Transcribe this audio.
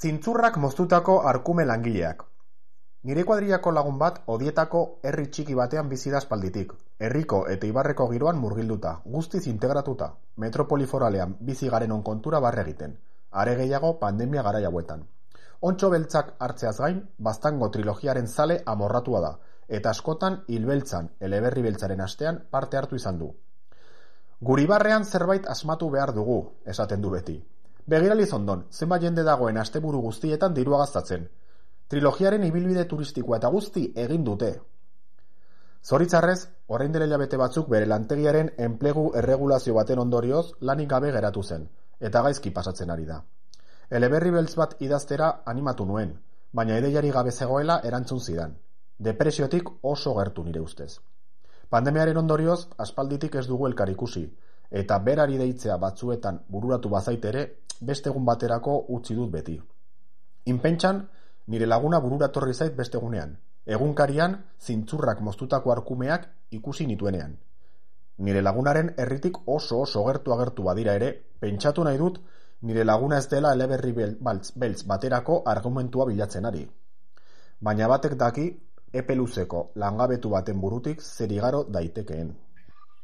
Zintzurrak moztutako arkume langileak. Nire kuadrillako lagun bat Odietako herri txiki batean bizi da aspalditik. Herriko eta ibarreko giroan murgilduta, guztiz integratuta, metropoli foralean bizi garenon kontura barre egiten. Are gehiago pandemia garai hauetan. Ontxo beltzak hartzeaz gain, Baztango trilogiaren zale amorratua da, eta askotan Hilbeltzan, eleberri beltzaren astean parte hartu izan du. Guri barrean zerbait asmatu behar dugu, esaten du beti. Begiraliz ondon, zenbat jende dagoen asteburu guztietan dirua gastatzen. Trilogiaren ibilbide turistikoa eta guzti egin dute. Zoritzarrez, orain dela hilabete batzuk bere lantegiaren enplegu erregulazio baten ondorioz lanik gabe geratu zen, eta gaizki pasatzen ari da. Eleberri beltz bat idaztera animatu nuen, baina ideiari gabe zegoela erantzun zidan. Depresiotik oso gertu nire ustez. Pandemiaren ondorioz, aspalditik ez dugu elkar ikusi, eta berari deitzea batzuetan bururatu bazait ere, beste egun baterako utzi dut beti. Inpentsan, nire laguna bururatorri zait beste egunean. Egunkarian, zintzurrak moztutako arkumeak ikusi nituenean. Nire lagunaren herritik oso gertu agertu badira ere, pentsatu nahi dut, nire laguna ez dela eleberri beltz baterako argumentua bilatzen ari. Baina batek daki, epe luzeko langabetu baten burutik zer igaro daitekeen.